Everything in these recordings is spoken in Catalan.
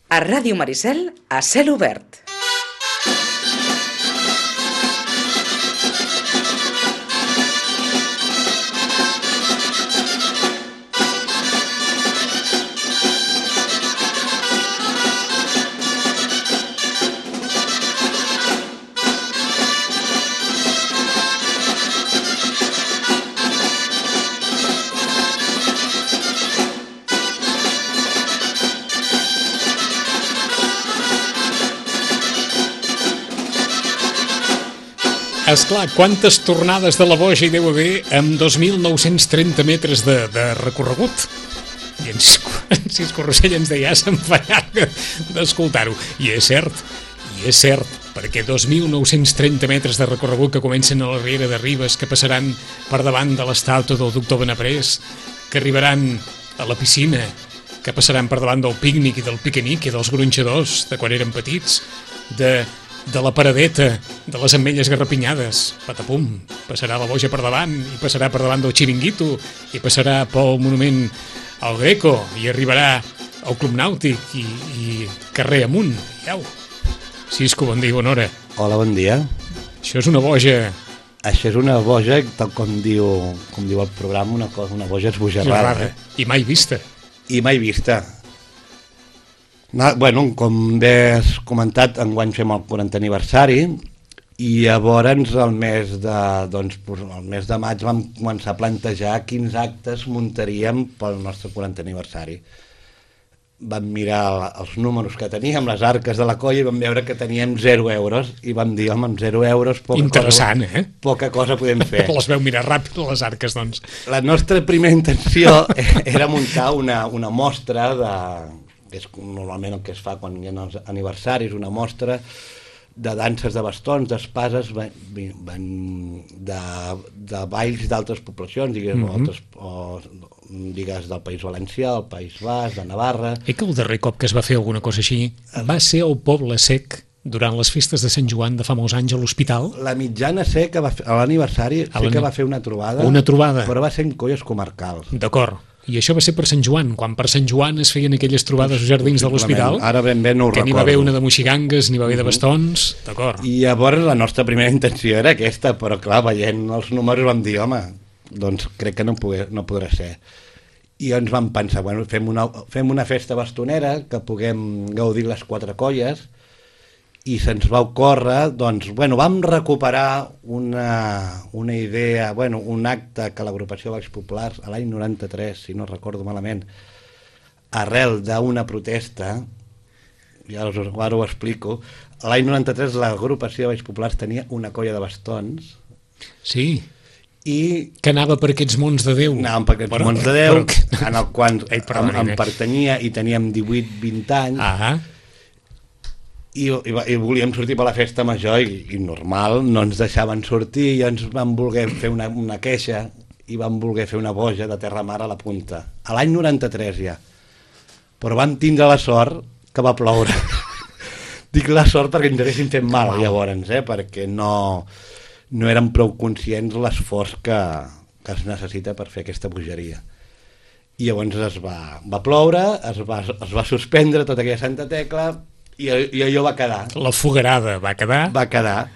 A Ràdio Maricel, a cel obert. Esclar, quantes tornades de la boja hi deu haver amb 2.930 metres de recorregut? I en Sis Corrossell ens deia, se'm fa llarg d'escoltar-ho. I és cert, perquè 2.930 metres de recorregut que comencen a la Riera de Ribes, que passaran per davant de l'estàtua del doctor Benaprés, que arribaran a la piscina, que passaran per davant del pícnic i del piquenic i dels gronxadors de quan eren petits, de la paradeta, de les ametlles garrapinyades, patapum, passarà la boja per davant, i passarà per davant del xiringuito, i passarà pel monument al Greco, i arribarà al Club Nàutic, i carrer amunt, iau. Cisco, bon dia, bona hora. Hola, bon dia. Això és una boja... Això és una boja, tal com diu el programa, una boja esbojarrada. I mai vista. I mai vista. Bueno, com bé has comentat, enguany fem el 40 aniversari i llavors el mes de maig vam començar a plantejar quins actes muntaríem pel nostre 40 aniversari. Vam mirar els números que teníem, les arques de la colla, i vam veure que teníem 0 euros i vam dir, home, amb 0 euros poca cosa podem fer. Les veu mirar ràpid, les arques, doncs. La nostra primera intenció era muntar una mostra que és normalment el que es fa quan hi ha els aniversaris, una mostra de danses de bastons, d'espases, de balls d'altres poblacions, digues del País Valencià, del País Basc, de Navarra... Que el darrer cop que es va fer alguna cosa així va ser al Poble Sec, durant les festes de Sant Joan de fa molts anys a l'hospital? La mitjana sé que a l'aniversari que va fer una trobada, però va ser en colles comarcals. D'acord. I això va ser per Sant Joan, quan per Sant Joan es feien aquelles trobades als jardins de l'hospital. Ara ben bé no ho recordo. Que n'hi va haver una de moixigangues, n'hi va haver de bastons, d'acord. I llavors la nostra primera intenció era aquesta, però clar, veient els números vam dir, home, doncs crec que no podrà ser. I ens vam pensar, bueno, fem una festa bastonera que puguem gaudir les 4 colles, i se'ns va ocórrer, doncs, bueno, vam recuperar una idea, bueno, un acte que l'agrupació Baix Populars a l'any 93, si no recordo malament, arrel d'una protesta, i ara ho explico, a l'any 93 l'agrupació Baix Populars tenia una colla de bastons. Sí, i que anava per aquests mons de Déu. Anàvem per aquests mons de Déu, en el qual em pertanyia i teníem 18-20 anys, i volíem sortir per la festa major i normal, no ens deixaven sortir i ens van voler fer una queixa i van voler fer una boja de terra mar a la punta, a l'any 93 ja, però vam tindre la sort que va ploure. Dic la sort perquè ens haguessin fet mal llavors, perquè no érem prou conscients l'esforç que es necessita per fer aquesta bogeria. I llavors es va ploure, es va suspendre tota aquella santa tecla, i allò va quedar. La foguerada va quedar? Va quedar.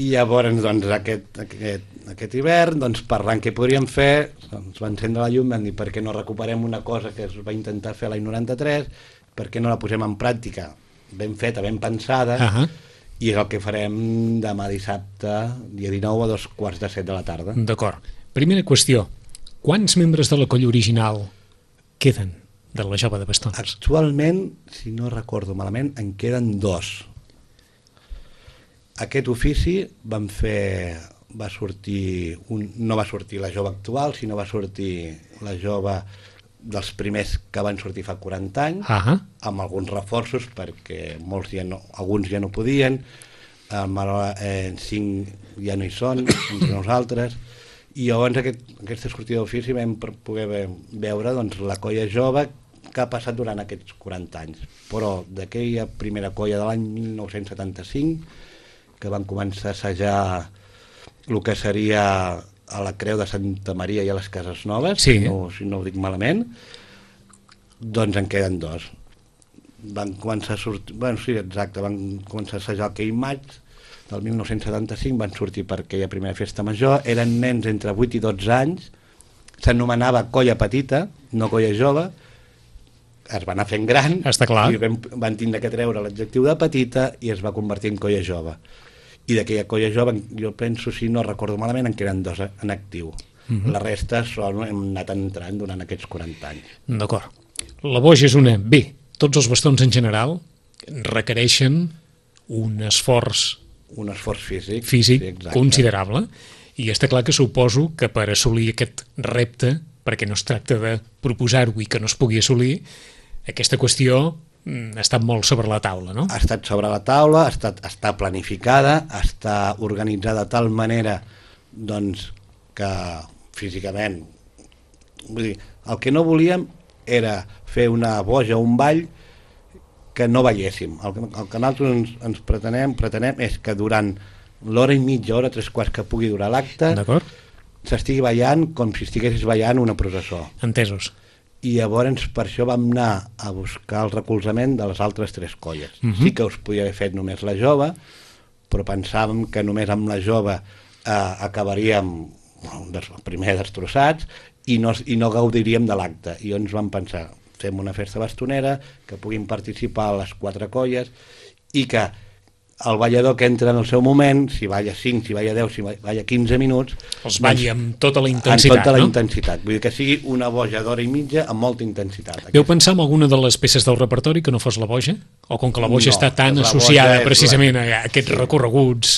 I llavors, doncs, aquest hivern, doncs, parlant què podríem fer, ens va encendre la llum, vam dir, per què no recuperem una cosa que es va intentar fer l'any 93, per què no la posem en pràctica, ben feta, ben pensada, i és el que farem demà dissabte, dia 19 a 7:15 de la tarda. D'acord. Primera qüestió, quants membres de la colla original queden de la Jove de Bastons? Actualment, si no recordo malament, en queden 2. Aquest ofici va sortir, no va sortir la jove actual, sinó va sortir la jove dels primers que van sortir fa 40 anys, amb alguns reforços, perquè alguns ja no podien, 5 ja no hi són, entre nosaltres, i llavors aquesta sortida d'ofici vam poder veure la colla jove que ha passat durant aquests 40 anys. Però d'aquella primera colla de l'any 1975, que van començar a assajar el que seria a la Creu de Santa Maria i a les Cases Noves, si no ho dic malament, doncs en queden 2. van començar a sortir... Bueno, sí, exacte, van començar a assajar aquell maig del 1975, van sortir per aquella primera festa major, eren nens entre 8 i 12 anys, s'anomenava colla petita, no colla jove, es va anar fent gran, i van tindre que treure l'adjectiu de petita i es va convertir en colla jove. I d'aquella colla jove, jo penso, si no recordo malament, en queden 2 en actiu. La resta hem anat entrant durant aquests 40 anys. D'acord. La boja és una... Bé, tots els bastons en general requereixen un esforç físic sí, considerable, i està clar que suposo que per assolir aquest repte, perquè no es tracta de proposar-ho i que no es pugui assolir, aquesta qüestió ha estat molt sobre la taula, no? Ha estat sobre la taula, està planificada, està organitzada de tal manera doncs, que físicament... Vull dir, el que no volíem era fer una boja o un ball que no balléssim. El que nosaltres ens pretenem és que durant l'hora i mitja, hora, 3/4 que pugui durar l'acte, s'estigui ballant com si estiguessis ballant una processó. Entesos. I llavors per això vam anar a buscar el recolzament de les altres 3 colles. Sí que us podia haver fet només la jove, però pensàvem que només amb la jove acabaríem primer destrossats i no gaudiríem de l'acte. I llavors vam pensar, fem una festa bastonera, que puguin participar les 4 colles i que el ballador que entra en el seu moment, si balla 5, si balla 10, si balla 15 minuts... Els balli amb tota la intensitat, amb tota la intensitat. Vull dir que sigui una boja d'hora i mitja amb molta intensitat. Veu pensar en alguna de les peces del repertori que no fos la boja? O com que la boja està tan associada precisament a aquests recorreguts...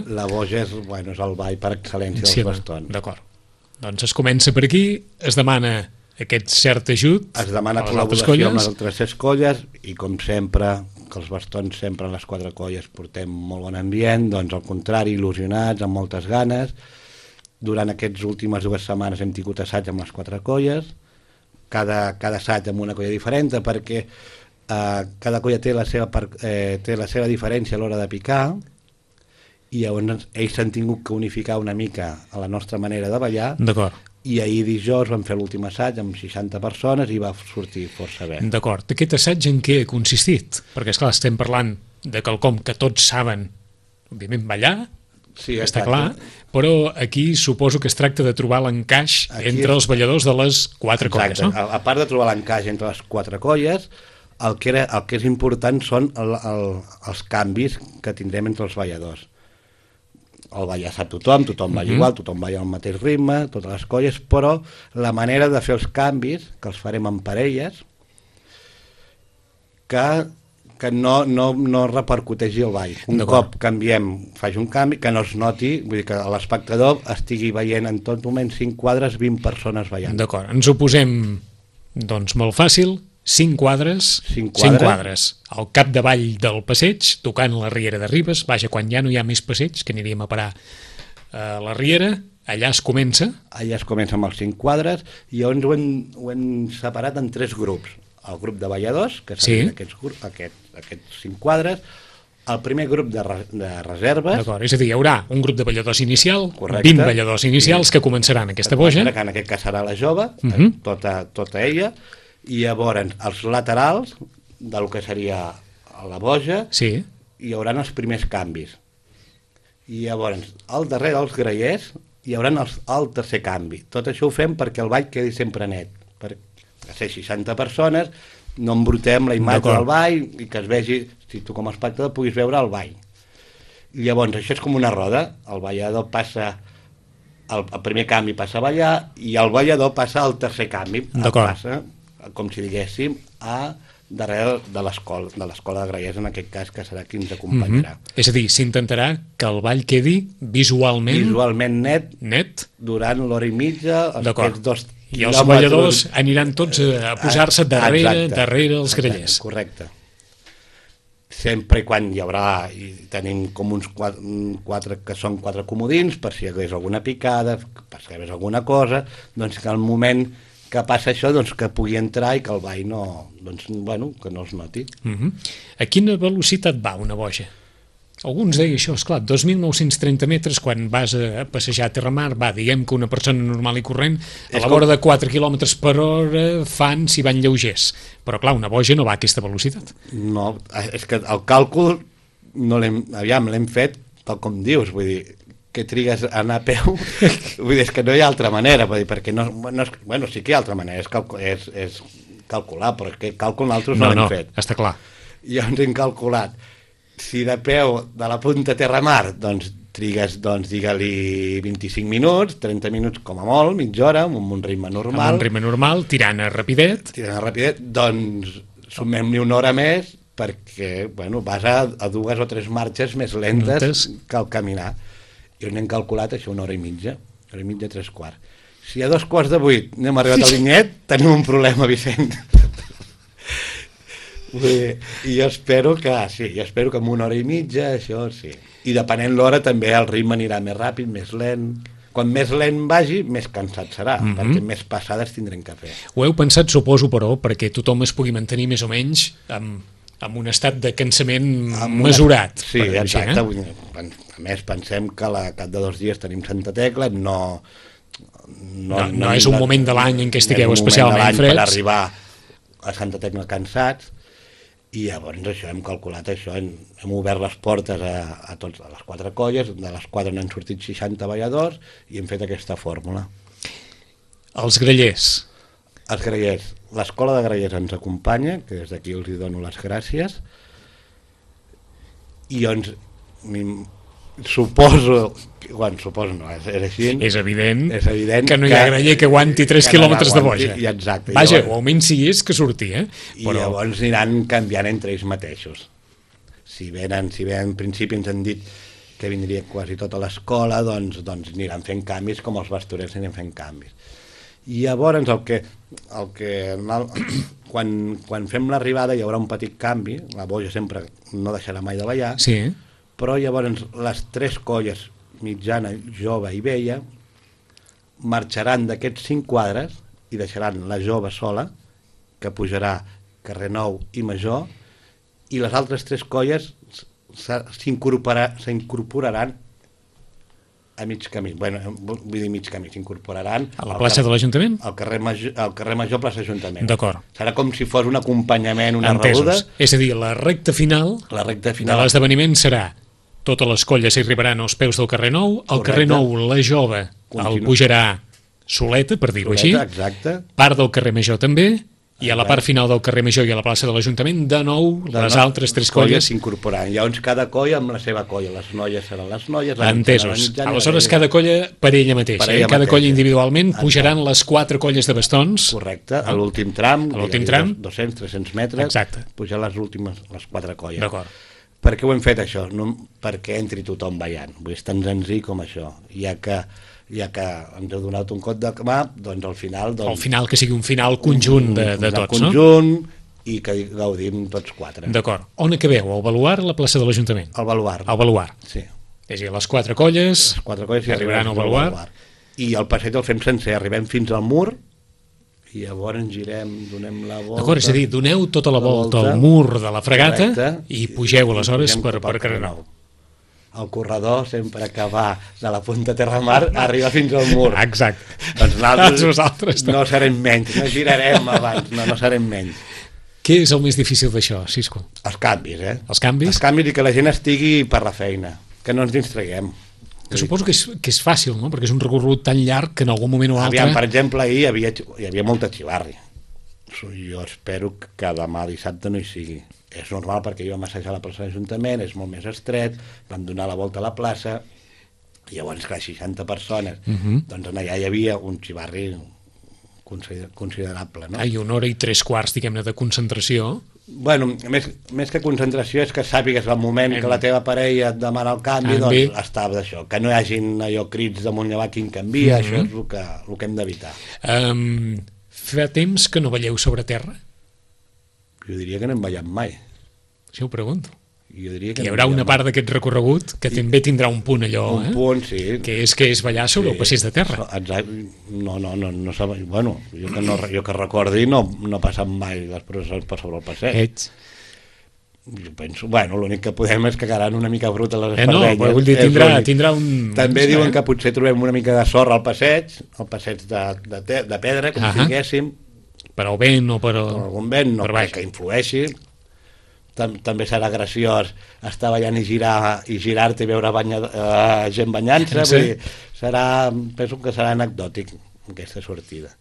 La boja és el ball per excel·lència dels bastons. D'acord. Doncs es comença per aquí, es demana aquest cert ajut, es demana col·laboració amb les altres 6 colles i com sempre, que els bastons sempre en les 4 colles portem molt bon ambient, doncs al contrari, il·lusionats, amb moltes ganes. Durant aquestes últimes 2 setmanes hem tingut assaig amb les 4 colles, cada assaig amb una colla diferent, perquè cada colla té la seva diferència a l'hora de picar, i llavors ells s'han tingut que unificar una mica a la nostra manera de ballar. D'acord. I ahir dijous vam fer l'últim assaig amb 60 persones i va sortir força bé. D'acord. Aquest assaig en què ha consistit? Perquè, esclar, estem parlant de quelcom que tots saben, òbviament, ballar, sí, està clar, però aquí suposo que es tracta de trobar l'encaix entre els balladors de les 4 colles, no? A part de trobar l'encaix entre les 4 colles, el que és important són els canvis que tindrem entre els balladors. El ballar sap tothom balla igual, tothom balla al mateix ritme, totes les colles, però la manera de fer els canvis, que els farem en parelles, que no repercuteixi el ball. Un cop faig un canvi, que no es noti, vull dir que l'espectador estigui veient en tot moment 5 quadres, 20 persones ballant. D'acord, ens ho posem doncs molt fàcil, 5 quadres al capdavall del passeig, tocant la Riera de Ribes. Vaja, quan ja no hi ha més passeig, que aniríem a parar a la Riera, allà es comença. Allà es comença amb els 5 quadres i llavors ho hem separat en 3 grups. El grup de balladors, que serien aquests 5 quadres, el primer grup de reserves... D'acord, és a dir, hi haurà un grup de balladors inicial, 20 balladors inicials que començaran aquesta boja. Que en aquest cas serà la jove, tota ella, i llavors els laterals del que seria la boja hi haurà els primers canvis i llavors al darrere dels grallers hi haurà el tercer canvi. Tot això ho fem perquè el ball quedi sempre net, perquè ser 60 persones no embrutem la imatge del ball i que es vegi, si tu com a espectador puguis veure el ball. I llavors això és com una roda, el ballador passa el primer canvi passa a ballar i el ballador passa al tercer canvi, passa com si diguéssim, a darrere de l'escola de grallers, en aquest cas, que serà qui ens acompanyarà. És a dir, s'intentarà que el ball quedi visualment net durant l'hora i mitja, aquests 2 quilòmetres. I els balladors aniran tots a posar-se darrere els grallers. Correcte. Sempre i quan hi haurà, i tenim com uns 4 que són 4 comodins, per si hi hagués alguna picada, per si hi hagués alguna cosa, doncs que al moment que passa això, doncs que pugui entrar i que el ball que no es noti. A quina velocitat va una boja? Alguns deien això, esclar, 2.930 metres quan vas a passejar a terramar, diguem que una persona normal i corrent a la vora de 4 km per hora fan si van lleugers, però clar, una boja no va a aquesta velocitat. No, és que el càlcul no l'hem fet tal com dius, vull dir, que trigues a anar a peu, vull dir, és que no hi ha altra manera, vull dir, perquè no, bueno, sí que hi ha altra manera, és calcular, però que càlcul nosaltres no l'hem fet. Està clar. I llavors hem calculat, si de peu de la punta a terramar, doncs trigues, digue-li 25 minuts, 30 minuts com a molt, mitja hora, amb un ritme normal. Amb un ritme normal, tirant a rapidet. Doncs sumem-li una hora més perquè, bueno, vas a 2 o 3 marxes més lentes que al caminar. I on hem calculat això, una hora i mitja, 3/4. Si a 7:45 no hem arribat al Vinyet, tenim un problema, Vicent. I jo espero que amb una hora i mitja, això sí. I depenent l'hora també el ritme anirà més ràpid, més lent. Quan més lent vagi, més cansat serà, perquè més passades tindrem que fer. Ho heu pensat, suposo, però, perquè tothom es pugui mantenir més o menys amb un estat de cansament mesurat. Sí, exacte. A més, pensem que al cap de 2 dies tenim Santa Tecla, no és un moment de l'any en què estigueu especialment freds. Per arribar a Santa Tecla cansats, i llavors això, hem calculat això, hem obert les portes a les 4 colles, de les 4 n'han sortit 60 balladors i hem fet aquesta fórmula. Els grallers. Els grallers. L'escola de grallers ens acompanya, que des d'aquí els hi dono les gràcies, i doncs suposo no, és així. És evident que no hi ha graller que aguanti 3 quilòmetres de boja. Exacte. Vaja, o almenys si és que surti, I llavors aniran canviant entre ells mateixos. Si venen, en principi ens han dit que vindria quasi tota l'escola, doncs aniran fent canvis com els bastorers aniran fent canvis. I llavors quan fem l'arribada hi haurà un petit canvi, la boja sempre no deixarà mai de ballar, sí. Però llavors les 3 colles, mitjana, jove i vella, marxaran d'aquests 5 quadres i deixaran la jove sola, que pujarà carrer Nou i Major, i les altres 3 colles s'incorporaran a mig camí. Bueno, vull dir mig camí, s'incorporaran... A la plaça de l'Ajuntament? Al carrer Major, plaça Ajuntament. D'acord. Serà com si fos un acompanyament, una rebuda. És a dir, la recta final de l'esdeveniment serà totes les colles arribaran als peus del carrer Nou, al carrer Nou la jove el pujarà soleta, per dir-ho així, part del carrer Major també, i a la part final del carrer Major i a la plaça de l'Ajuntament, de nou, les altres 3 colles s'incorporaran. Llavors cada colla amb la seva colla, les noies seran les noies, entesos. Aleshores cada colla per ella mateixa, cada colla individualment pujaran les 4 colles de bastons. Correcte, a l'últim tram, 200-300 metres, pujar les últimes, les 4 colles. D'acord. Per què ho hem fet això? Perquè entri tothom ballant, vull dir, és tan senzill com això, ja que ens heu donat un cop de mà, doncs al final... Al final que sigui un final conjunt de tots, no? Conjunt i que gaudim tots 4. D'acord. On acabeu? Al Baluard o a la plaça de l'Ajuntament? Al Baluard. Al Baluard. Sí. És a dir, les 4 colles arribaran al Baluard. I el passeig el fem sencer, arribem fins al mur, i llavors girem, donem la volta... D'acord, és a dir, doneu tota la volta al mur de la fregata i pugeu aleshores per carrer Nou. El corredor, sempre que va de la punta Terramar, arriba fins al mur. Exacte. Doncs nosaltres no serem menys, no girarem abans, no serem menys. Què és el més difícil d'això, Cisco? Els canvis, Els canvis? Els canvis i que la gent estigui per la feina, que no ens distraiguem. Que suposo que és fàcil, no? Perquè és un recorregut tan llarg que en algun moment o altre... Per exemple, ahir hi havia molta xivarri. Jo espero que demà dissabte no hi sigui. És normal perquè jo vam assajar a la plaça de l'Ajuntament, és molt més estret, vam donar la volta a la plaça, i llavors, clar, 60 persones. Doncs allà hi havia un xivarri considerable, no? I 1 hora i 3/4, diguem-ne, de concentració. Bueno, més que concentració és que sàpigues el moment que la teva parella et demana el canvi, doncs està d'això, que no hi hagin allò crits damunt i avall quin canvia, això és el que hem d'evitar. Fa temps que no balleu sobre terra? Jo diria que no hem ballat mai. Això ho pregunto. Jo diria que hi haurà una part d'aquest recorregut que també tindrà un punt allò, un punt, sí. Que és ballar sobre el passeig de terra. Exacte. No sabe, bueno, jo que recordi no he passat mai les processons per sobre el passeig. Jo penso, bueno, l'únic que podem és que quedaran una mica bruta les espardenyes. No, vull dir, tindrà un... També diuen que potser trobem una mica de sorra al passeig, el passeig de pedra, com si diguéssim. Per al vent o per... Per algun vent, no crec que influeixi. També serà graciós estar ballant i girar-te i veure gent banyant-se. Penso que serà anecdòtic aquesta sortida.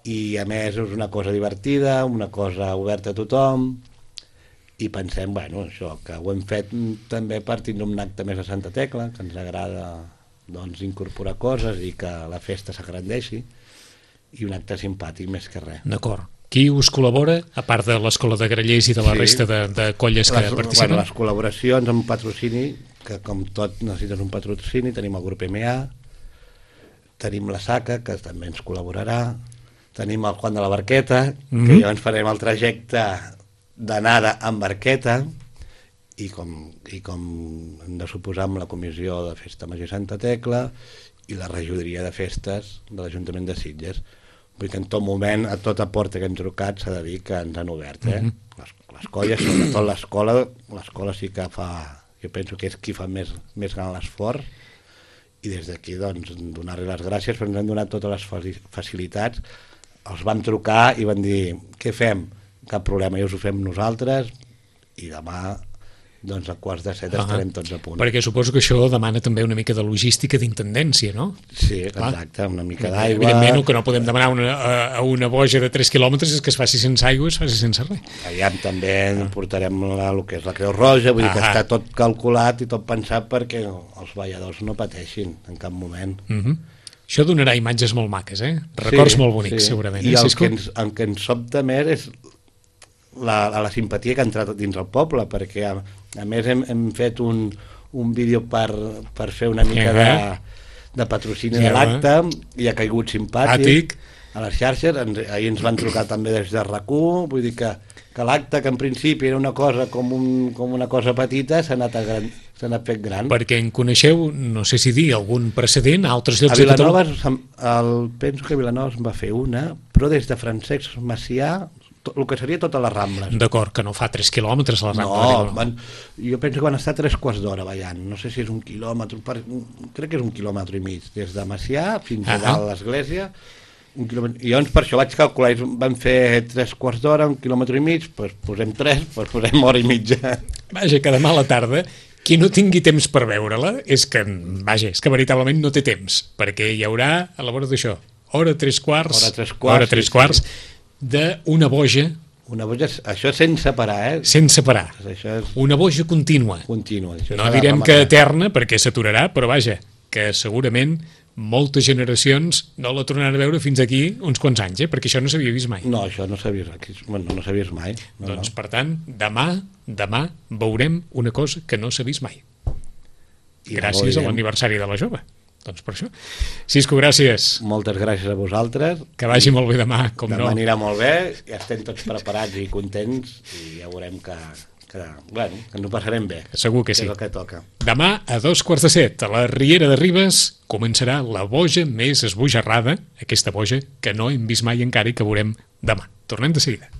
I a més és una cosa divertida, una cosa oberta a tothom, i pensem, bueno, això, que ho hem fet també per tindre un acte més a Santa Tecla, que ens agrada doncs, incorporar coses i que la festa s'agrandeixi, i un acte simpàtic més que res. D'acord. Qui us col·labora, a part de l'Escola de Grallers i de la resta de colles que participen? Bueno, les col·laboracions amb patrocini, que com tot necessites un patrocini, tenim el grup MA, tenim la SACA, que també ens col·laborarà, tenim el Juan de la Barqueta, que ja ens farem el trajecte d'anada amb barqueta, i com hem de suposar amb la Comissió de Festa Major Santa Tecla i la regidoria de festes de l'Ajuntament de Sitges. Vull dir que en tot moment, a tota porta que hem trucat, s'ha de dir que ens han obert. Les colles, sobretot l'escola sí que fa, jo penso que és qui fa més gran l'esforç, i des d'aquí doncs donar-li les gràcies, perquè ens han donat totes les facilitats. Els vam trucar i van dir, què fem? Cap problema, ja us ho fem nosaltres, i demà doncs a 6:45 estarem tots a punt. Perquè suposo que això demana també una mica de logística d'intendència, no? Sí, exacte, una mica d'aigua. Evidentment, el que no podem demanar a una boja de 3 quilòmetres és que es faci sense aigua, es faci sense res. Allà també portarem el que és la Creu Roja, vull dir que està tot calculat i tot pensat perquè els balladors no pateixin en cap moment. Això donarà imatges molt maques, records molt bonics, segurament. I el que ens sobta més és la simpatia que ha entrat dins el poble, perquè a més hem fet un vídeo per fer una mica de patrocini de l'acte, i ha caigut simpàtic a les xarxes. Ahir ens van trucar també des de RAC1, vull dir que l'acte, que en principi era una cosa com una cosa petita, s'ha anat fet gran. Perquè en coneixeu, no sé si dir, algun precedent a altres llocs de Catalunya? Penso que a Vilanova en va fer una, però des de Francesc Macià, el que seria totes les Rambles. D'acord, que no fa 3 quilòmetres a les Rambles. No, jo penso que van estar 3/4 d'hora ballant, no sé si és 1 quilòmetre, crec que és 1,5 quilòmetres, des de Macià fins a dalt a l'església, 1 quilòmetre, i llavors per això vaig calcular, van fer 3/4 d'hora, 1,5 quilòmetres, doncs posem 3, doncs posem hora i mitja. Vaja, que demà a la tarda, qui no tingui temps per veure-la, és que veritablement no té temps, perquè hi haurà, a la vora d'això, hora 3/4 d'una boja. Una boja, això sense parar, Sense parar. Una boja contínua. No direm que eterna, perquè s'aturarà, però vaja, que segurament moltes generacions no la tornaran a veure fins aquí uns quants anys, perquè això no s'havia vist mai. No, això no s'ha vist mai. Doncs, per tant, demà veurem una cosa que no s'ha vist mai. Gràcies a l'aniversari de la jove. Doncs per això. Cisco, gràcies. Moltes gràcies a vosaltres. Que vagi molt bé demà, com no. Demà anirà molt bé, ja estem tots preparats i contents, i ja veurem que ens ho passarem bé. Segur que sí. És el que toca. Demà a 6:45, a la Riera de Ribes, començarà la boja més esbojarrada, aquesta boja que no hem vist mai encara i que veurem demà. Tornem de seguida.